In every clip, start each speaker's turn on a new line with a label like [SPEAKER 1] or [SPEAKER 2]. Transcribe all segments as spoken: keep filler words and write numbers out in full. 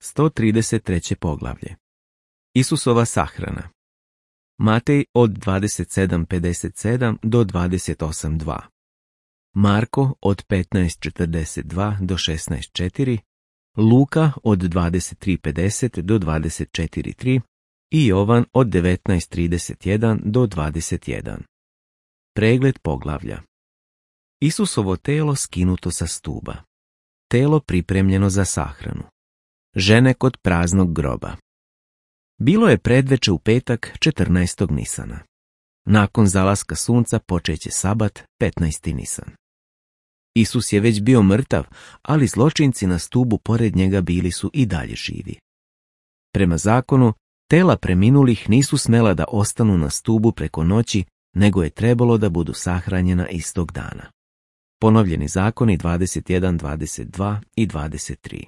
[SPEAKER 1] sto trideset treće poglavlje. Isusova sahrana. Matej od dvadeset sedam pedeset sedam do dvadeset osam dva. Marko od petnaest četrdeset dva do šesnaest četiri. Luka od dvadeset tri pedeset do dvadeset četiri tri i Jovan od devetnaest trideset jedan do dvadeset jedan. Pregled poglavlja. Isusovo telo skinuto sa stuba. Telo pripremljeno za sahranu. Žene kod praznog groba. Bilo je predveče u petak četrnaestog Nisana. Nakon zalaska sunca počeće sabat petnaesti Nisan. Isus je već bio mrtav, ali zločinci na stubu pored njega bili su i dalje živi. Prema zakonu, tela preminulih nisu smela da ostanu na stubu preko noći, nego je trebalo da budu sahranjena istog dana. Ponovljeni zakoni dvadeset jedan, dvadeset dva i dvadeset tri.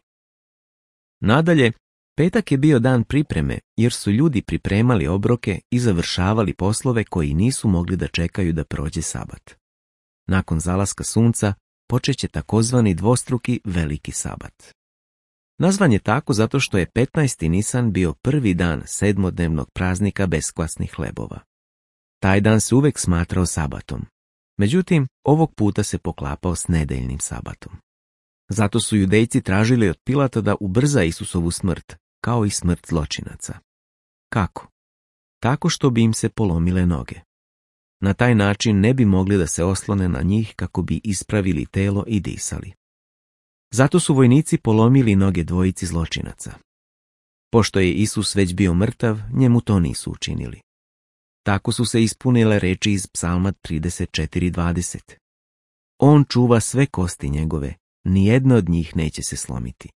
[SPEAKER 1] Nadalje, petak je bio dan pripreme, jer su ljudi pripremali obroke i završavali poslove koji nisu mogli da čekaju da prođe sabat. Nakon zalaska sunca počeće takozvani dvostruki veliki sabat. Nazvan je tako zato što je petnaesti Nisan bio prvi dan sedmodnevnog praznika beskvasnih hlebova. Taj dan se uvek smatrao sabatom. Međutim, ovog puta se poklapao s nedeljnim sabatom. Zato su judejci tražili od Pilata da ubrza Isusovu smrt, kao i smrt zločinaca. Kako? Tako što bi im se polomile noge. Na taj način ne bi mogli da se oslone na njih kako bi ispravili telo i disali. Zato su vojnici polomili noge dvojici zločinaca. Pošto je Isus već bio mrtav, njemu to nisu učinili. Tako su se ispunile reči iz Psalma trideset četiri dvadeset. On čuva sve kosti njegove, nijedna od njih neće se slomiti.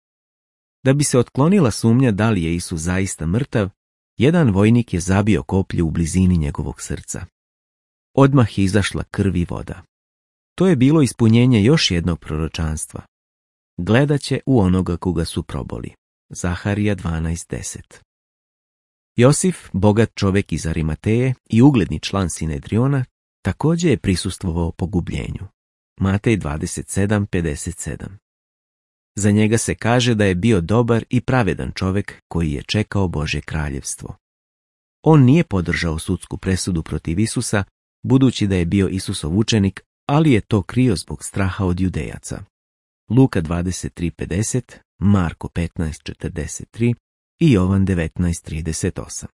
[SPEAKER 1] Da bi se otklonila sumnja da li je Isus zaista mrtav, jedan vojnik je zabio koplju u blizini njegovog srca. Odmah je izašla krv i voda. To je bilo ispunjenje još jednog proročanstva. Gledaće u onoga koga su proboli. Zaharija dvanaest deset. Josif, bogat čovek iz Arimateje i ugledni član Sinedriona, također je prisustvovao pogubljenju. Matej dvadeset sedam pedeset sedam. Za njega se kaže da je bio dobar i pravedan čovek koji je čekao Božje kraljevstvo. On nije podržao sudsku presudu protiv Isusa, budući da je bio Isusov učenik, ali je to krio zbog straha od Judejaca. Luka dvadeset tri pedeset, Marko petnaest četrdeset tri i Jovan devetnaest trideset osam.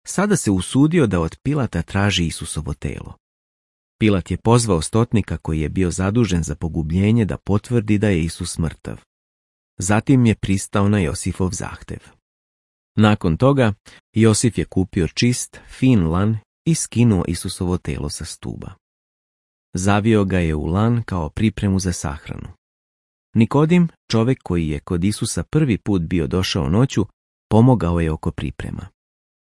[SPEAKER 1] Sada se usudio da od Pilata traži Isusovo telo. Pilat je pozvao stotnika koji je bio zadužen za pogubljenje da potvrdi da je Isus mrtav. Zatim je pristao na Josifov zahtev. Nakon toga, Josif je kupio čist, fin lan i skinuo Isusovo telo sa stuba. Zavio ga je u lan kao pripremu za sahranu. Nikodim, čovek koji je kod Isusa prvi put bio došao noću, pomogao je oko priprema.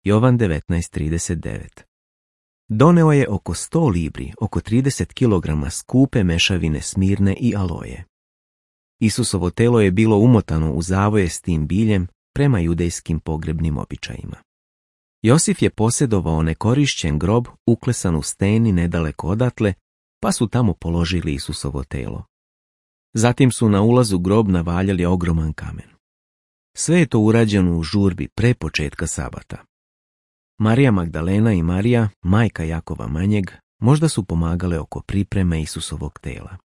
[SPEAKER 1] Jovan devetnaest trideset devet. Doneo je oko sto libri, oko trideset kilograma skupe mešavine smirne i aloje. Isusovo telo je bilo umotano u zavoje s tim biljem prema judejskim pogrebnim običajima. Josif je posjedovao nekorišćen grob uklesan u steni nedaleko odatle, pa su tamo položili Isusovo telo. Zatim su na ulazu grob navaljali ogroman kamen. Sve je to urađeno u žurbi pre početka sabata. Marija Magdalena i Marija, majka Jakova manjeg, možda su pomagale oko pripreme Isusovog tela.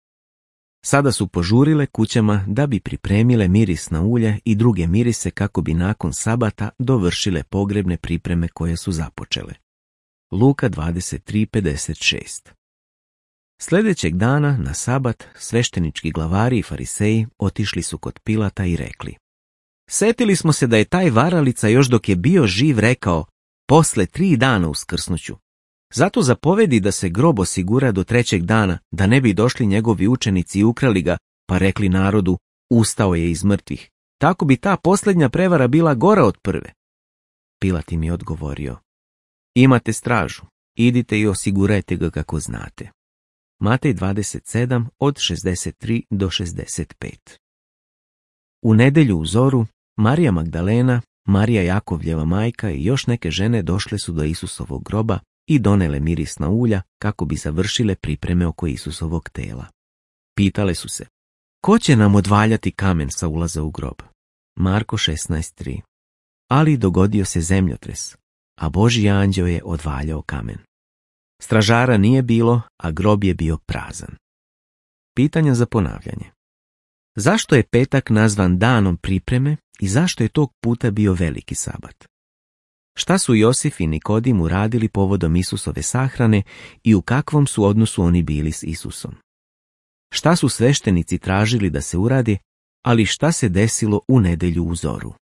[SPEAKER 1] Sada su požurile kućama da bi pripremile mirisna ulje i druge mirise kako bi nakon sabata dovršile pogrebne pripreme koje su započele. Luka dvadeset tri pedeset šest. Sljedećeg dana, na sabat, sveštenički glavari i fariseji otišli su kod Pilata i rekli: Setili smo se da je taj varalica još dok je bio živ rekao: posle tri dana uskrsnuću. Zato zapovedi da se grob osigura do trećeg dana, da ne bi došli njegovi učenici i ukrali ga, pa rekli narodu: ustao je iz mrtvih. Tako bi ta posljednja prevara bila gora od prve. Pilat im je odgovorio: imate stražu, idite i osigurajte ga kako znate. Matej dvadeset sedam od šezdeset tri do šezdeset pet. U nedelju u zoru, Marija Magdalena, Marija Jakovljeva majka i još neke žene došle su do Isusovog groba i donele mirisna ulja kako bi završile pripreme oko Isusovog tela. Pitale su se: ko će nam odvaljati kamen sa ulaza u grob? Marko šesnaest tri. Ali dogodio se zemljotres, a Božji anđeo je odvaljao kamen. Stražara nije bilo, a grob je bio prazan. Pitanja za ponavljanje. Zašto je petak nazvan danom pripreme i zašto je tog puta bio veliki sabat? Šta su Josif i Nikodim uradili povodom Isusove sahrane i u kakvom su odnosu oni bili s Isusom? Šta su sveštenici tražili da se uradi, ali šta se desilo u nedjelju u zoru?